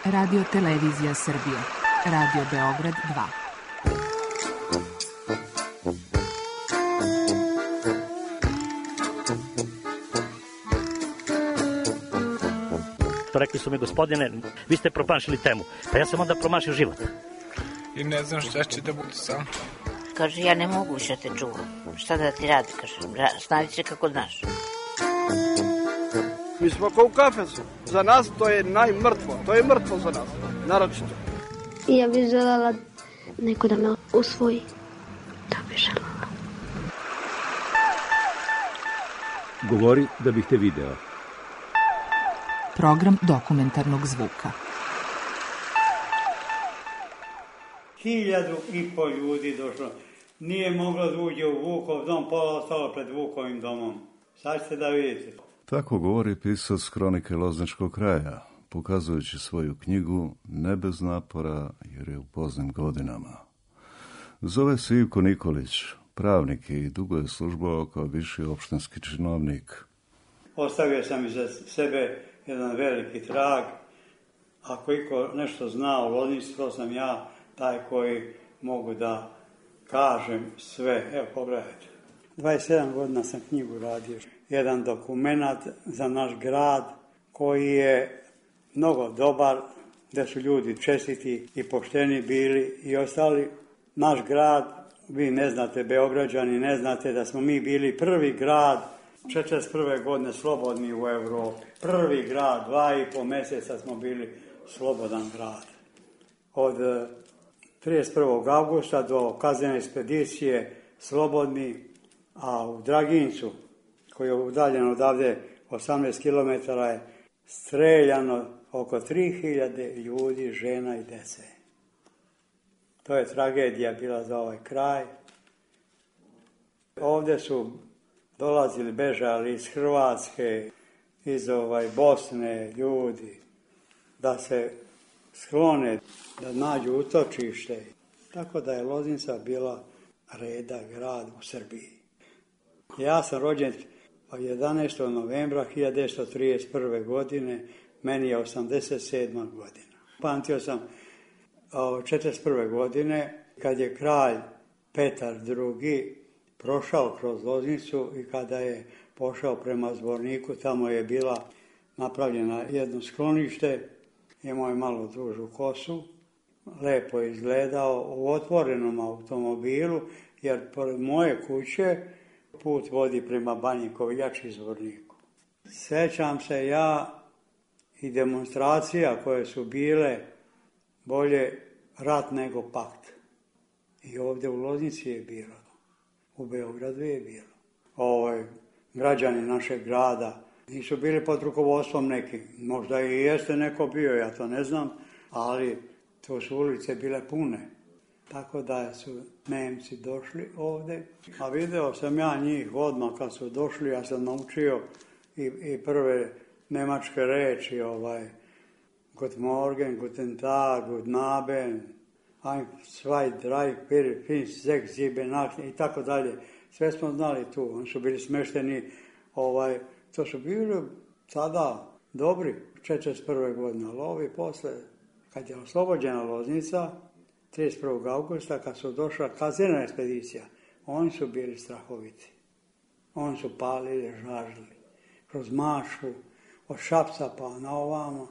Radio Televizija Srbije. Radio Beograd 2. Rekli su mi, gospodine, vi ste promašili temu. Pa ja sam onda promašio život. I ne znam šta će da bude sam. Kaže, ja ne mogu više te čuvam. Šta da ti radi, kaže, snađi se kako znaš. Mi smo kao u kafesu. Za nas to je najmrtvo. To je mrtvo za nas, naročito. I ja bih željela neko da me usvoji. Da bih željela. Govori da bih te video. Program dokumentarnog zvuka. 1.500 ljudi došlo. Nije moglo da uđe u Vukov dom, pola ostalo pred Vukovim domom. Sad ćete da vidite. Tako govori pisac Kronike Lozničkog kraja, pokazujući svoju knjigu Ne bez napora jer je u poznim godinama. Zove se Ivko Nikolić, pravnik i dugo je službovao kao viši opštinski činovnik. Ostavio sam iza sebe jedan veliki trag. Ako iko nešto zna o Loznici, to sam ja taj koji mogu da kažem sve. Evo, pogledajte. 27 godina sam knjigu radio. Jedan dokumenat za naš grad koji je mnogo dobar, gde su ljudi čestiti i pošteni bili i ostali. Naš grad, vi ne znate, Beograđani, ne znate da smo mi bili prvi grad 41. godine slobodni u Evropi. Prvi grad, 2,5 mjeseca smo bili slobodan grad. Od 31. augusta do kaznene ekspedicije slobodni, a u Dragincu, koji je udaljen odavde 18 km, je streljano oko 3000 ljudi, žena i dece. To je tragedija bila za ovaj kraj. Ovdje su dolazili, bežali iz Hrvatske, iz Bosne ljudi, da se sklone, da nađu utočište. Tako da je Loznica bila reda grad u Srbiji. Ja sam rođen 11. novembra 1931. godine, meni je 87. godina. Pamtio sam 1941. godine, kad je kralj Petar II. Prošao kroz Loznicu i kada je pošao prema Zvorniku, tamo je bila napravljena jedno sklonište, imao je malo dužu kosu, lepo izgledao u otvorenom automobilu, jer pored moje kuće put vodi prema Banji Koviljači i Zvorniku. Sećam se ja i demonstracija koje su bile bolje rat nego pakt. I ovdje u Loznici je bilo. U Beogradu je bilo. Građani našeg grada nisu bili pod rukovodstvom neki. Možda i jeste neko bio, ja to ne znam, ali to su ulice bile pune. Tako da su Nemci došli ovdje. A video sam ja njih odmah kad su došli, ja sam naučio i prve nemačke reči, Guten Morgen, Guten Tag, Guten Abend, ein, zwei, drei, vier, fünf, sechs, sieben, acht i tako dalje. Sve smo znali tu. Oni su bili smešteni, to su bili tada dobri 41. godine, ali ovi posle, kad je oslobođena Loznica, 31. augusta, kad su došla kaznena ekspedicija, oni su bili strahoviti. Oni su palili, žažili. Kroz Mašu, od Šapca pa na ovamo,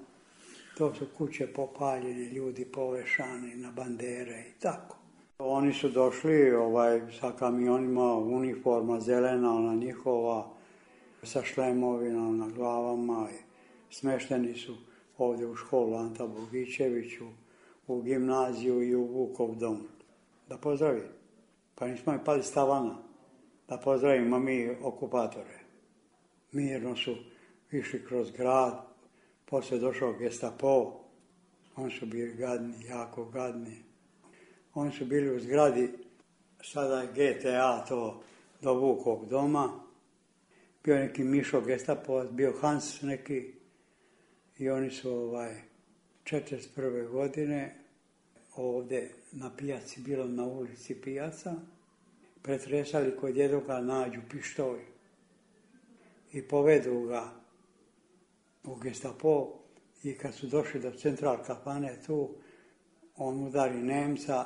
to su kuće popaljene, ljudi povešani na bandere i tako. Oni su došli sa kamionima, uniforma zelena, ona njihova, sa šlemovima na glavama. Smešteni su ovdje u školu Anta Bogićeviću, u gimnaziju i u Vukov dom. Da pozdravi. Pa nismo i pali s tavana. Da pozdravimo mi okupatore. Mirno su išli kroz grad. Poslije došao Gestapo. Oni su bili gadni, jako gadni. Oni su bili u zgradi, sada je GTA to, do Vukovog doma. Bio neki Mišo Gestapo, bio Hans neki. I oni su 41. godine ovdje na pijaci, bilo na ulici pijaca, pretresali kod jednoga, nađu pištolj i povedu ga u Gestapo i kad su došli do Central kafane tu, on udari Nemca,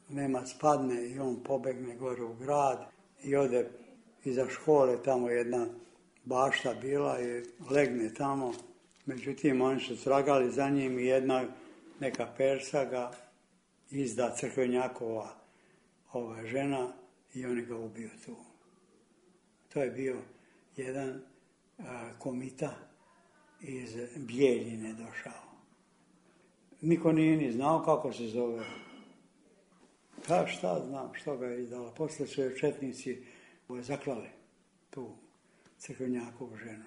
Nemac padne i on pobegne gore u grad i ode iza škole, tamo jedna bašta bila i legne tamo. Međutim, oni su tragali za njim i jedna neka Persa ga izda crkvenjakova žena i oni ga ubiju tu. To je bio jedan komita iz Bijeljine došao. Niko nije ni znao kako se zove. Pa šta znam što ga je izdala. Posle su je četnici zaklali tu crkvenjakovu ženu.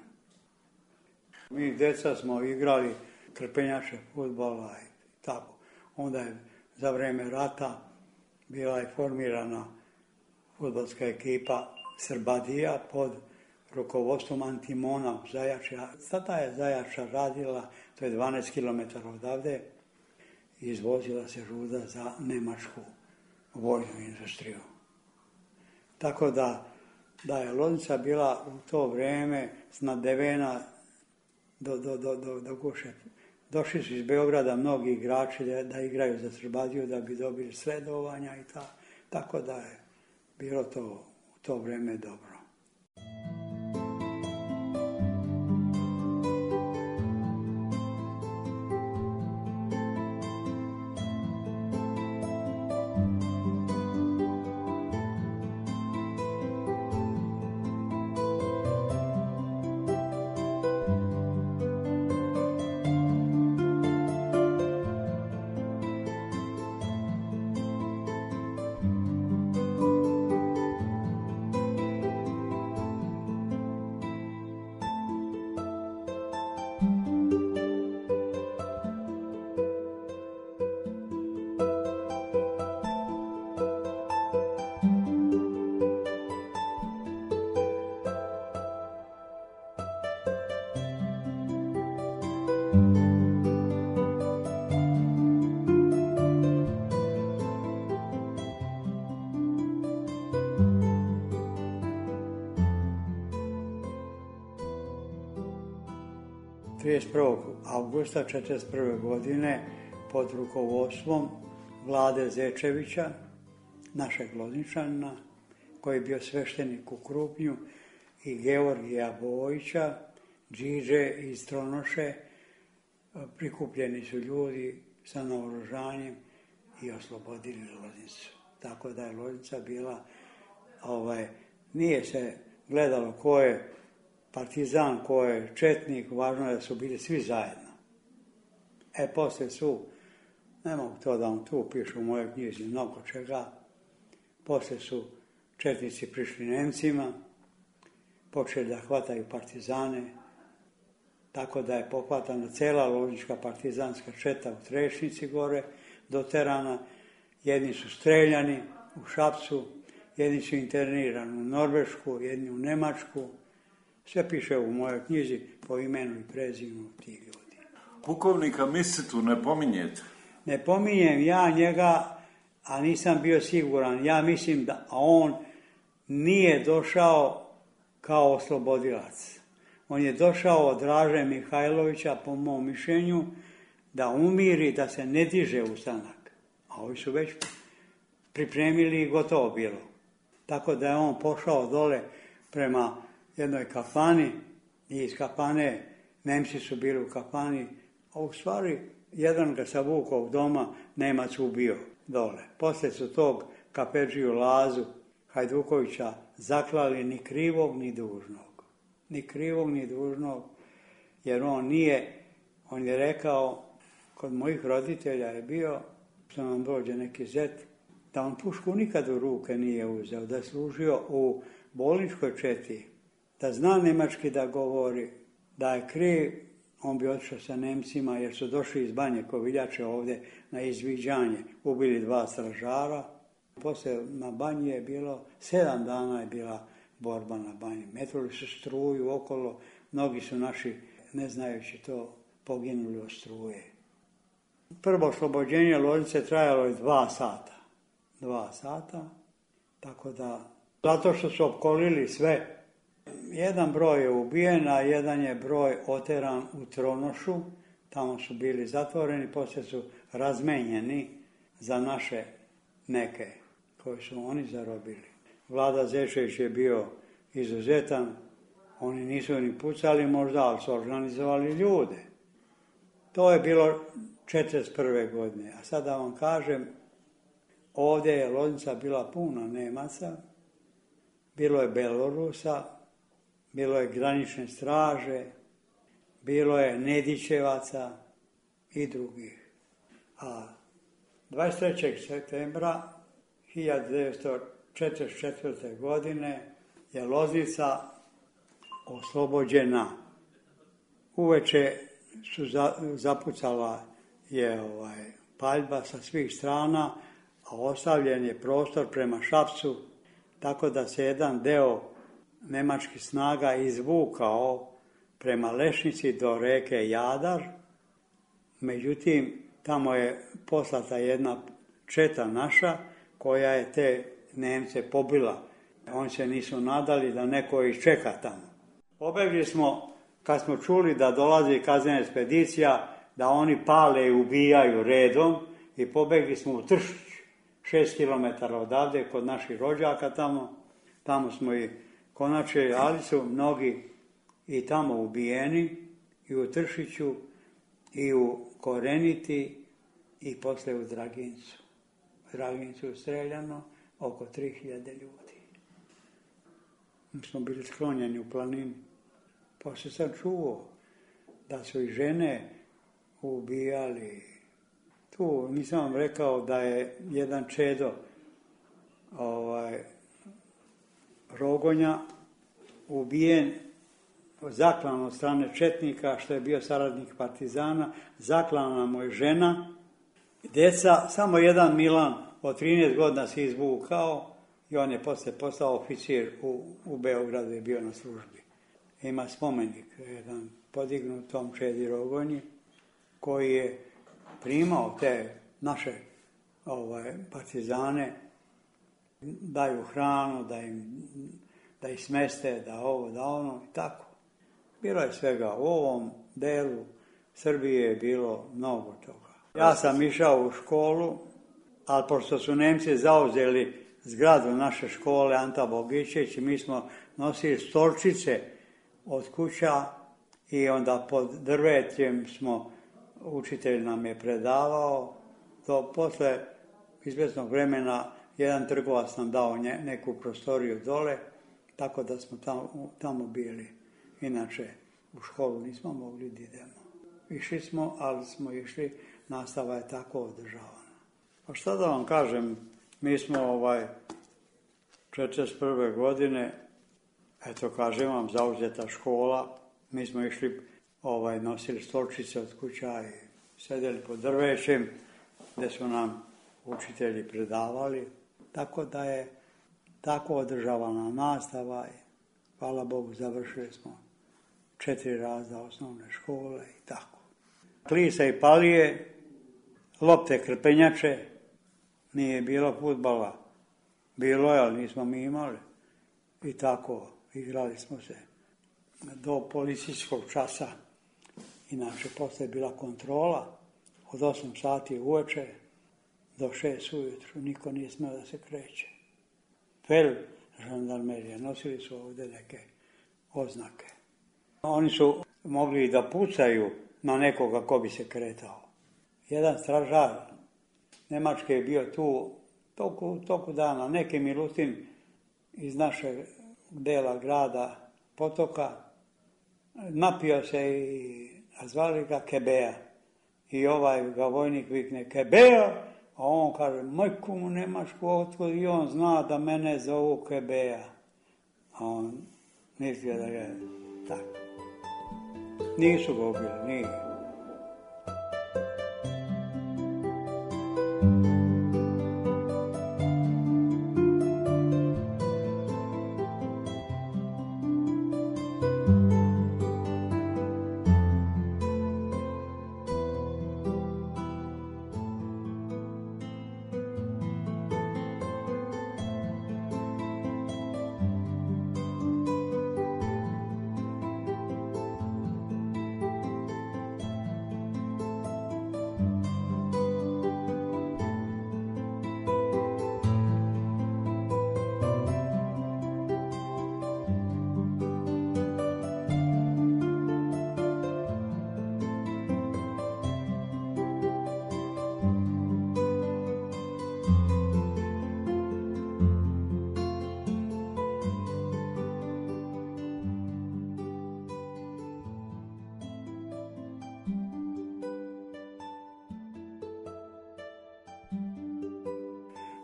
Mi djeca smo igrali krpenjače fudbala i tako. Onda je za vreme rata bila je formirana fudbalska ekipa Srbadija pod rukovodstvom Antimona Zajača. Sada je Zajača radila, to je 12 km odavde, i izvozila se ruda za nemačku vojnu industriju. Tako da je Loznica bila u to vrijeme snadevena do guše. Došli su iz Beograda mnogi igrači da igraju za Srbadiju da bi dobili sredovanja i tako da je bilo to u to vrijeme dobro. Augusta 1941. godine pod rukovodstvom Vlade Zečevića, našeg Lozničanina, koji je bio sveštenik u Krupnju, i Georgija Bojića, Điđe iz Tronoše, prikupljeni su ljudi sa naoružanjem i oslobodili Loznicu. Tako da je Loznica bila, nije se gledalo ko je partizan, ko je četnik, važno je da su bili svi zajedno. Poslije su, ne mogu to da vam tu pišu u mojoj knjizi mnogo čega, poslije su četnici prišli Nemcima, počeli da hvataju partizane, tako da je pohvatana cela loznička partizanska četa u Trešnici gore, doterana, jedni su streljani u Šapcu, jedni su internirani u Norvešku, jedni u Nemačku. Sve piše u mojoj knjizi po imenu i prezimenu tih ljudi. Pukovnika Misitu ne pominjete? Ne pominjem ja njega, a nisam bio siguran. Ja mislim da on nije došao kao oslobodilac. On je došao od Draže Mihajlovića, po mom mišljenju, da umiri, da se ne diže ustanak. A ovi su već pripremili i gotovo bilo. Tako da je on pošao dole prema jednoj kafani i iz kafane, Nemci su bili u kafani, a u stvari jedan ga savukao doma, Nemac ubio dole. Poslije su tog kapedžiju Lazu Hajdukovića zaklali ni krivog ni dužnog. Ni krivog ni dužnog, jer on je rekao, kod mojih roditelja je bio, što nam dođe neki zet, da on pušku nikad u ruke nije uzeo, da je služio u bolničkoj četi, da zna nemački da govori, da je kriv, on bi otišao sa Nemcima jer su došli iz Banje Koviljače ovdje na izviđanje, ubili 2 stražara. Poslije na Banji je bilo, 7 dana je bila borba na Banji. Metruli su struju okolo, mnogi su naši, ne znajući to, poginuli od struje. Prvo oslobođenje Loznice trajalo je 2 sata. 2 sata, tako da, zato što su opkolili sve. Jedan broj je ubijen, a jedan je broj oteran u Tronošu, tamo su bili zatvoreni, poslije su razmenjeni za naše neke koje su oni zarobili. Vlada Zečević je bio izuzetan, oni nisu ni pucali možda, ali su organizovali ljude. To je bilo 1941. godine. A sada vam kažem, ovdje je Loznica bila puna Nemaca, bilo je Belorusa, bilo je granične straže, bilo je Nedićevaca i drugih. A 23. septembra 1944. godine je Loznica oslobođena. Uveče su zapucala je paljba sa svih strana, a ostavljen je prostor prema Šapcu, tako da se jedan deo nemačkih snaga izvukao prema Lešnici do reke Jadar. Međutim, tamo je poslata jedna četa naša koja je te Nemce pobila. Oni se nisu nadali da neko ih čeka tamo. Pobegli smo, kad smo čuli da dolazi kaznena ekspedicija, da oni pale i ubijaju redom, i pobegli smo u Tršić, 6 km odavde, kod naših rođaka tamo. Tamo smo i konačili, ali su mnogi i tamo ubijeni, i u Tršiću, i u Koreniti, i poslije u Dragincu. U Dragincu je streljano oko 3000 ljudi. Mi smo bili sklonjeni u planini. Poslije sam čuo da su i žene ubijali. Tu nisam vam rekao da je jedan čedo Rogonja ubijen, zaklan od strane četnika, što je bio saradnik partizana, zaklana mu je žena, djeca, samo jedan Milan od 13 godina se izvukao i on je poslije postao oficir u Beogradu, je bio na službi. Ima spomenik, jedan podignut tom čedi Rogonji, koji je primao te naše partizane, daju hranu, da ih smeste, da ovo, da ono i tako. Bilo je svega. U ovom delu Srbije je bilo mnogo toga. Ja sam išao u školu, ali pošto su Nemci zauzeli zgradu naše škole Anta Bogićević, mi smo nosili stolčice od kuća i onda pod drvetjem učitelj nam je predavao. Posle izvjesnog vremena jedan trgovac nam dao neku prostoriju dole, tako da smo tamo bili. Inače, u školu nismo mogli da idemo. Išli smo, ali smo išli, nastava je tako održavana. Pa šta da vam kažem, mi smo 1941. godine, eto kažem vam, zauzeta škola, mi smo išli, nosili stolčice od kuća i sedeli pod drvećem, gdje su nam učitelji predavali, tako da je tako održavana nastava i hvala Bogu završili smo 4 razda osnovne škole i tako. Klisa i palije, lopte krpenjače, nije bilo fudbala, bilo je, ali nismo mi imali. I tako igrali smo se do policijskog časa. Inače, poslije je bila kontrola od 8 sati uveče do 6 ujutru. Niko nije smio da se kreće. Fel žandarmerija, nosili su ovdje neke oznake. Oni su mogli da pucaju na nekoga ko bi se kretao. Jedan stražar Nemačke je bio tu toku dana, neki Milutin iz našeg dela grada Potoka, napio se a zvali ga Kebea. I ga vojnik vikne Kebea, a on kaže, majku mu Nemačku otkud, i on zna da mene zovu Kebea. A on mislio da je tako. Nisu ga ubili, nije.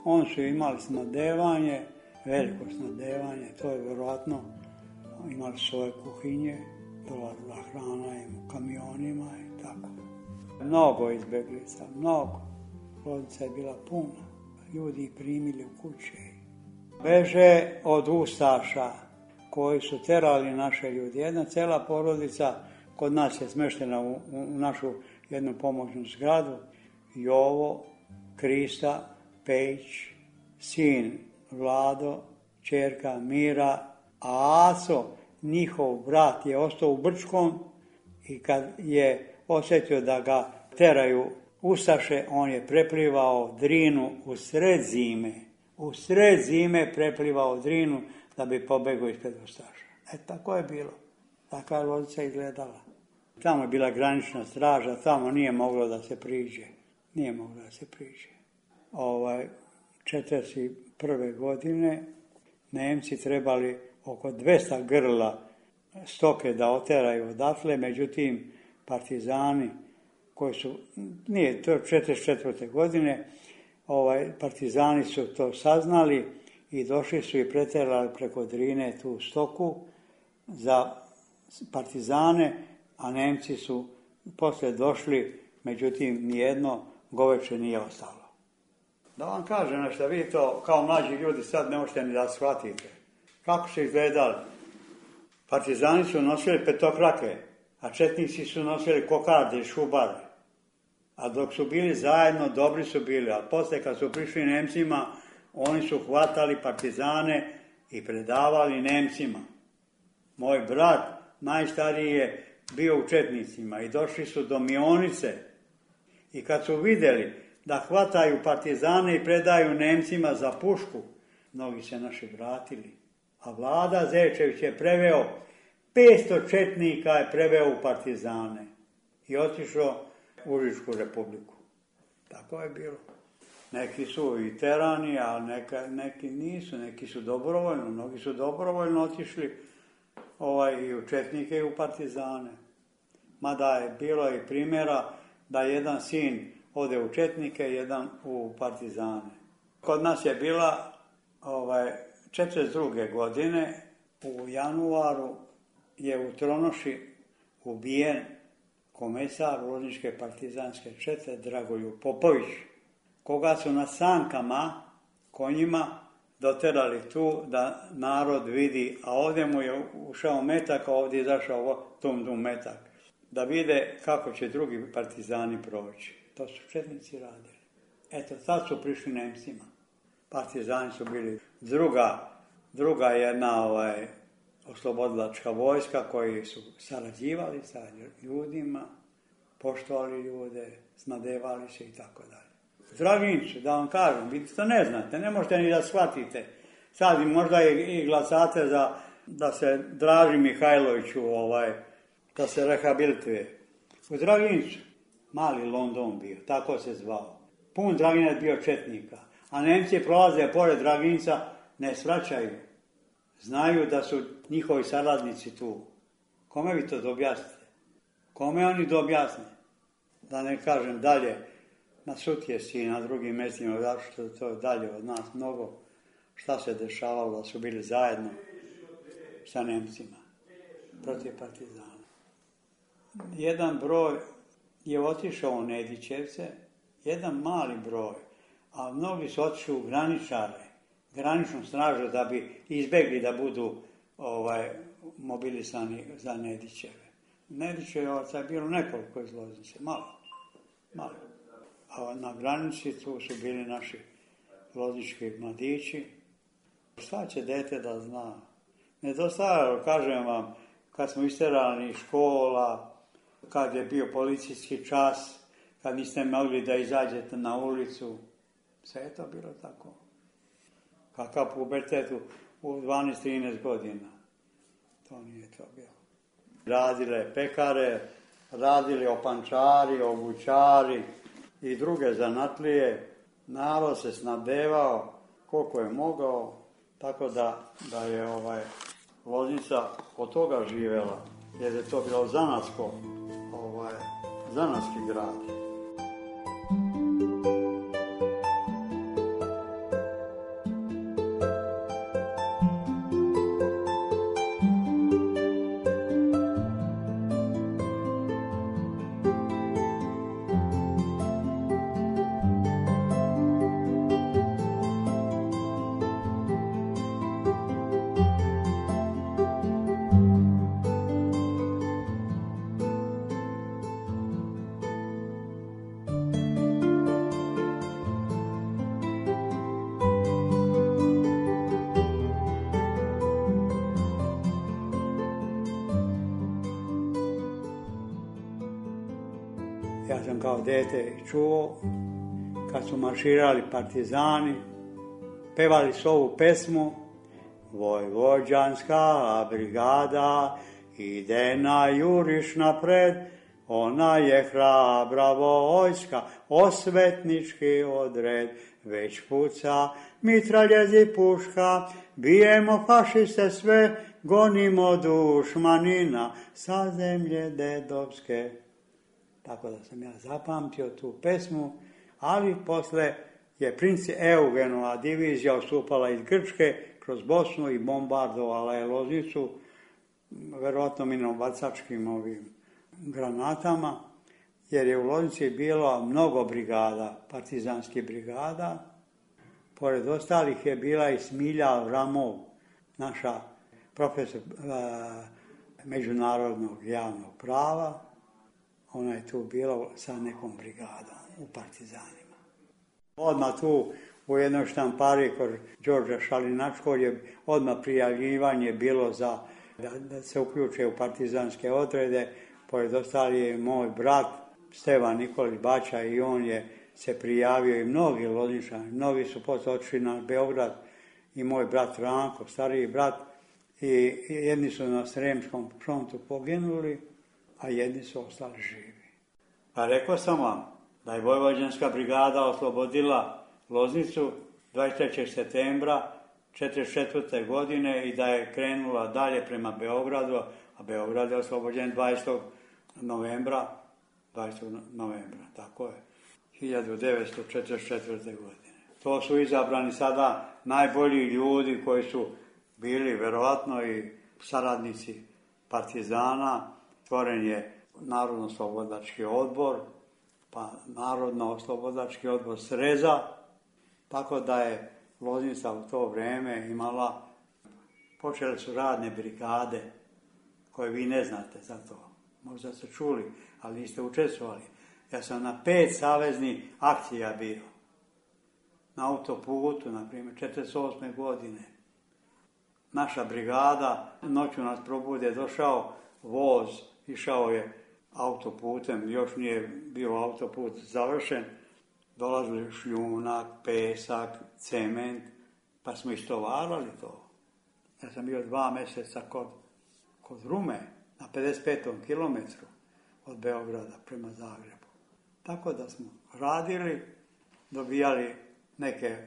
Oni su imali snadevanje, veliko snadevanje, to je vjerojatno, imali svoje kuhinje, dolazila hrana im u kamionima i tako. Mnogo izbjeglica, mnogo. Loznica je bila puna, ljudi ih primili u kuće. Beže od ustaša koji su terali naše ljudi. Jedna cijela porodica kod nas je smještena u našu jednu pomoćnu zgradu. Jovo, Krista, Pejić, sin Vlado, ćerka Mira, a Aco, njihov brat, je ostao u Brčkom i kad je osjetio da ga teraju ustaše, on je preplivao Drinu u sred zime. U sred zime preplivao Drinu da bi pobegao ispred ustaša. Tako je bilo. Takva je Loznica izgledala. Tamo je bila granična straža, tamo nije moglo da se priđe. Nije moglo da se priđe. 1941. godine Nemci trebali oko 200 grla stoke da oteraju odatle, međutim partizani koji su, nije to 1944. godine, partizani su to saznali i došli su i preterali preko Drine tu stoku za partizane, a Nemci su poslije došli, međutim nijedno goveče nije ostalo. Da vam kažem nešto, vi to kao mlađi ljudi sad ne možete ni da shvatite. Kako su izgledali? Partizani su nosili petokrake, a četnici su nosili kokarde i šubare. A dok su bili zajedno, dobri su bili, a poslije kad su prišli Nemcima, oni su hvatali partizane i predavali Nemcima. Moj brat, najstariji, je bio u četnicima i došli su do Mionice. I kad su vidjeli da hvataju partizane i predaju Nemcima za pušku, mnogi se naši vratili. A Vlada Zečević je preveo, 500 četnika je preveo u partizane i otišao u Užičku republiku. Tako je bilo. Neki su i terani, a neki nisu, neki su dobrovoljno, mnogi su dobrovoljno otišli i u četnike i u partizane. Mada je bilo i primjera da jedan sin ode u četnike, jedan u partizane. Kod nas je bila 1942. godine, u januaru je u Tronoši ubijen komesar Lozničke partizanske čete Dragoljub Popović, koga su na sankama, konjima, doterali tu da narod vidi, a ovdje mu je ušao metak, a ovdje je izašao tum metak, da vide kako će drugi partizani proći. To su četnici radili. Eto, tad su prišli Nemcima. Partizani su bili druga jedna oslobodilačka vojska koji su sarađivali sa ljudima, poštovali ljude, snadevali se i tako dalje. Dragincu, da vam kažem, vi to ne znate, ne možete ni da shvatite. Sad možda i glasate da se Draži Mihajloviću, da se rehabilituje. U Dragincu, mali London bio, tako se zvao. Pun Draginac bio četnika, a Nemci prolaze pored Draginca, ne svraćaju. Znaju da su njihovi saradnici tu. Kome vi to objasnite? Kome oni objasne? Da ne kažem dalje, na Sutjesi i na drugim mjestima, zato što to je dalje od nas mnogo, šta se dešavalo da su bili zajedno sa Nemcima protiv partizana. Jedan broj je otišao u Nedićevce, jedan mali broj, a mnogi su otišli u graničare, graničnu stražu da bi izbjegli da budu mobilisani za Nedićeve. Nedićevaca je bilo nekoliko iz Loznice, malo. A na granici tu su bili naši loznički mladići. Šta će dete da zna? Nedostajalo, kažem vam, kad smo isterani iz škola, kad je bio policijski čas, kad niste mogli da izađete na ulicu, sve je to bilo tako. Kakav pubertet u 12-13 godina. To nije to bilo. Radile pekare, radili opančari, obućari i druge zanatlije. Narod se snabdevao koliko je mogao, tako da je Loznica od toga živjela, jer je to bilo zanatski grad. Ja sam kao dete čuo kad su marširali partizani, pevali su ovu pesmu: Vojvođanska brigada ide na juriš napred, ona je hrabra vojska, osvetnički odred, već puca mitraljezi puška, bijemo fašiste sve, gonimo dušmanina sa zemlje dedovske. Tako da sam ja zapamtio tu pesmu, ali posle je princ Eugenova divizija ustupala iz Grčke kroz Bosnu i bombardovala je Loznicu, verovatno minobacačkim ovim granatama, jer je u Loznici bilo mnogo brigada, partizanskih brigada. Pored ostalih je bila i Smilja Avramov, naša profesor međunarodnog javnog prava. Ona je tu bila sa nekom brigadom u partizanima. Odmah tu u jednoj štampari kod Đorđa Šalinačkog je odmah prijavljivanje bilo za da se uključe u partizanske odrede. Pored ostali je moj brat Stevan Nikolić Bača i on je se prijavio i mnogi Lozničani. Mnogi su posle otišli na Beograd i moj brat Ranko, stariji brat, i jedni su na Sremskom frontu poginuli, a jedni su ostali živi. Pa rekao sam vam da je Vojvođanska brigada oslobodila Loznicu 23. septembra 1944. godine i da je krenula dalje prema Beogradu, a Beograd je oslobođen 20. novembra, tako je, 1944. godine. To su izabrani sada najbolji ljudi koji su bili verovatno i saradnici partizana. Stvoren je Narodno-oslobodilački odbor, pa Narodno-oslobodilački odbor Sreza, tako da je Loznica u to vrijeme imala, počele su radne brigade, koje vi ne znate za to. Možda ste čuli, ali niste učestvovali. Ja sam na 5 saveznih akcija bio. Na autoputu, na primjer, 1948. godine. Naša brigada, noću nas probude, došao voz, išao je autoputem, još nije bio autoput završen, dolazili šljunak, pesak, cement, pa smo istovarali to. Ja sam bio 2 mjeseca kod Rume, na 55. kilometru od Beograda prema Zagrebu. Tako da smo radili, dobijali neke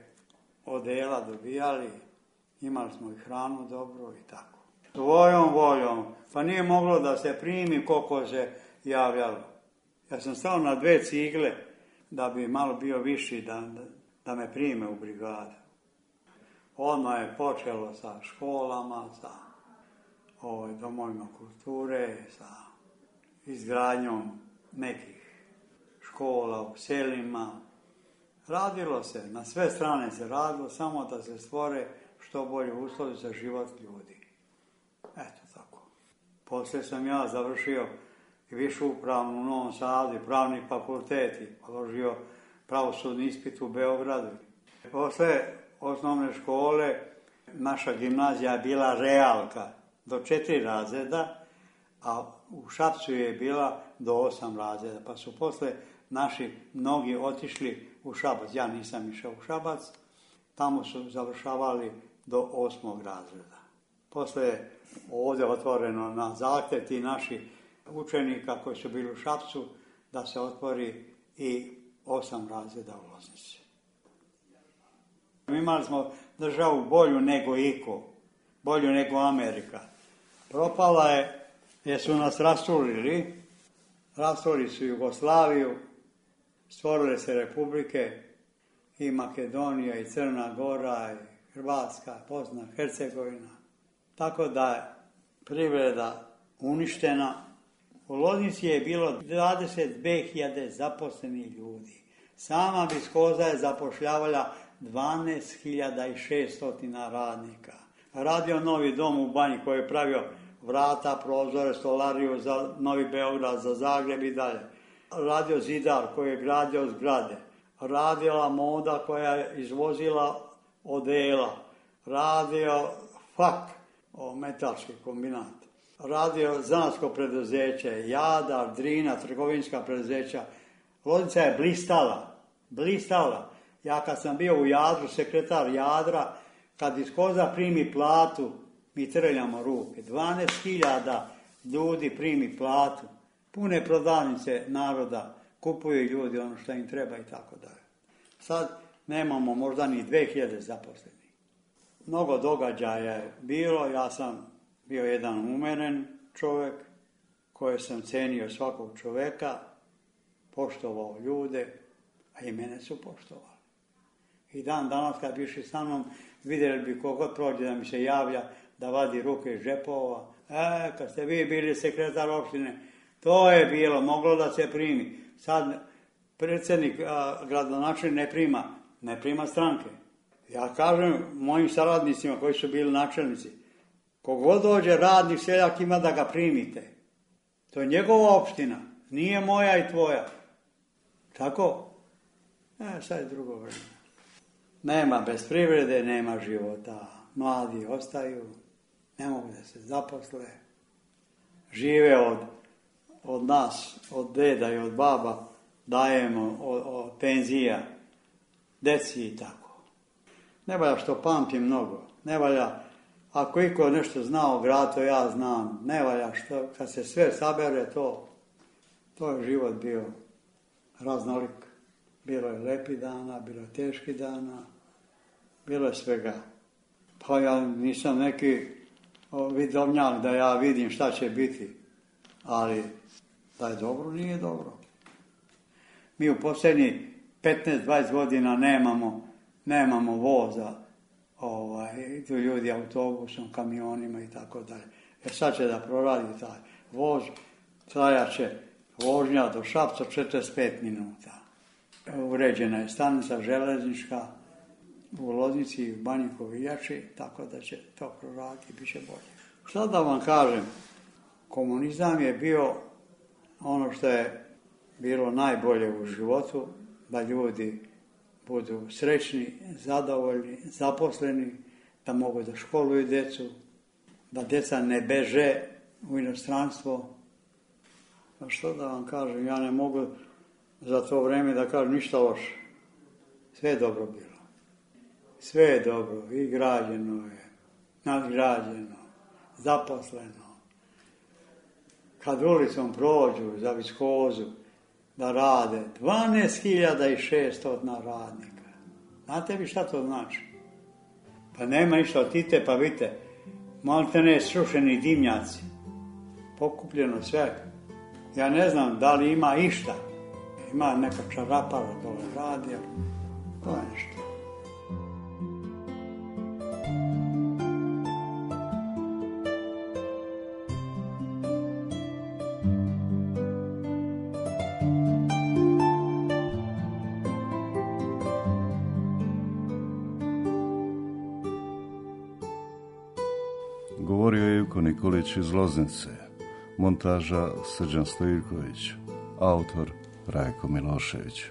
odela, imali smo i hranu dobro i tako. Svojom voljom, pa nije moglo da se primi koliko se javljalo. Ja sam stao na 2 cigle da bi malo bio viši, da me prime u brigadu. Odmah je počelo sa školama, sa domovima kulture, sa izgradnjom nekih škola u selima. Radilo se, na sve strane se radilo, samo da se stvore što bolje uslovi za život ljudi. Eto tako. Poslije sam ja završio i višu upravnu u Novom Sadu, pravni fakultet i položio pravosudni ispit u Beogradu. Posle osnovne škole naša gimnazija je bila realka do 4 razreda, a u Šapcu je bila do 8 razreda, pa su posle naši mnogi otišli u Šabac. Ja nisam išao u Šabac, tamo su završavali do 8. razreda. Posle je ovdje otvoreno na zahtjev ti naši učenika koji su bili u Šapcu da se otvori i 8 razreda u Loznici. Imali smo državu bolju nego iko, bolju nego Amerika. Propala je jer su nas rasturili su Jugoslaviju, stvorile se republike i Makedonija i Crna Gora i Hrvatska, Bosna, Hercegovina. Tako da je privreda uništena. U Loznici je bilo 22.000 zaposlenih ljudi. Sama Viskoza je zapošljavala 12.600 radnika. Radio Novi dom u Banji koji je pravio vrata, prozore, stolariju za Novi Beograd, za Zagreb i dalje. Radio Zidar koji je gradio zgrade. Radila Moda koja je izvozila odela. Radio FAK, metalski kombinat. Radio zanatsko preduzeće, Jadar, Drina, trgovinska preduzeća Loznica je blistala. Ja kad sam bio u Jadru, sekretar Jadra, kad iz Koza primi platu, mi trljamo ruke. 12.000 ljudi primi platu. Pune prodavnice naroda, kupuju ljudi ono što im treba i tako dalje. Sad nemamo možda ni 2000 zaposlenih. Mnogo događaja je bilo, ja sam bio jedan umeren čovjek, koji sam cenio svakog čovjeka, poštovao ljude, a i mene su poštovali. I dan danas kad bi išli sa mnom, vidjeli bi kogod prođe da mi se javlja, da vadi ruke iz džepova. Kad ste vi bili sekretar opštine, to je bilo, moglo da se primi. Sad predsjednik gradonačelnik ne prima stranke. Ja kažem mojim saradnicima koji su bili načelnici, kogod dođe radnik, seljak ima da ga primite. To je njegova opština, nije moja i tvoja. Tako? Sad je drugo vreme. Nema bez privrede, nema života. Mladi ostaju, ne mogu da se zaposle. Žive od nas, od deda i od baba, dajemo od penzija, deci i tako. Ne valja što pamtim mnogo, ne valja, ako iko nešto zna o gradu, to ja znam, ne valja što, kad se sve sabere, to je život bio raznolik. Bilo je lepi dana, bilo je teški dana, bilo je svega. Pa ja nisam neki vidovnjak da ja vidim šta će biti, ali da je dobro, nije dobro. Mi u posljednjih 15-20 godina nemamo voza, tu ljudi autobusom, kamionima i tako dalje. Sad će da proradi taj voz, trajat će vožnja do Šapca 45 minuta. Uređena je stanica železnička u Loznici i u Banji Koviljači, tako da će to proraditi, bit će bolje. Šta da vam kažem, komunizam je bio ono što je bilo najbolje u životu, da ljudi budu srećni, zadovoljni, zaposleni, da mogu da školuju djecu, da djeca ne beže u inostranstvo. A što da vam kažem, ja ne mogu za to vrijeme da kažem ništa loše. Sve je dobro bilo. Sve je dobro, i građeno je, nadgrađeno, zaposleno. Kad ulicom prođu za Viskozu da rade 12.600 radnika. Znate vi šta to znači? Pa nema ništa od Tite, pa vidite, malite ne srušeni dimnjaci. Pokupljeno sve. Ja ne znam da li ima išta. Ima neka čarapara dole radi, to je nešto. Govorio je Ivko Nikolić iz Loznice, montaža Srđan Stojković, autor Rajko Milošević.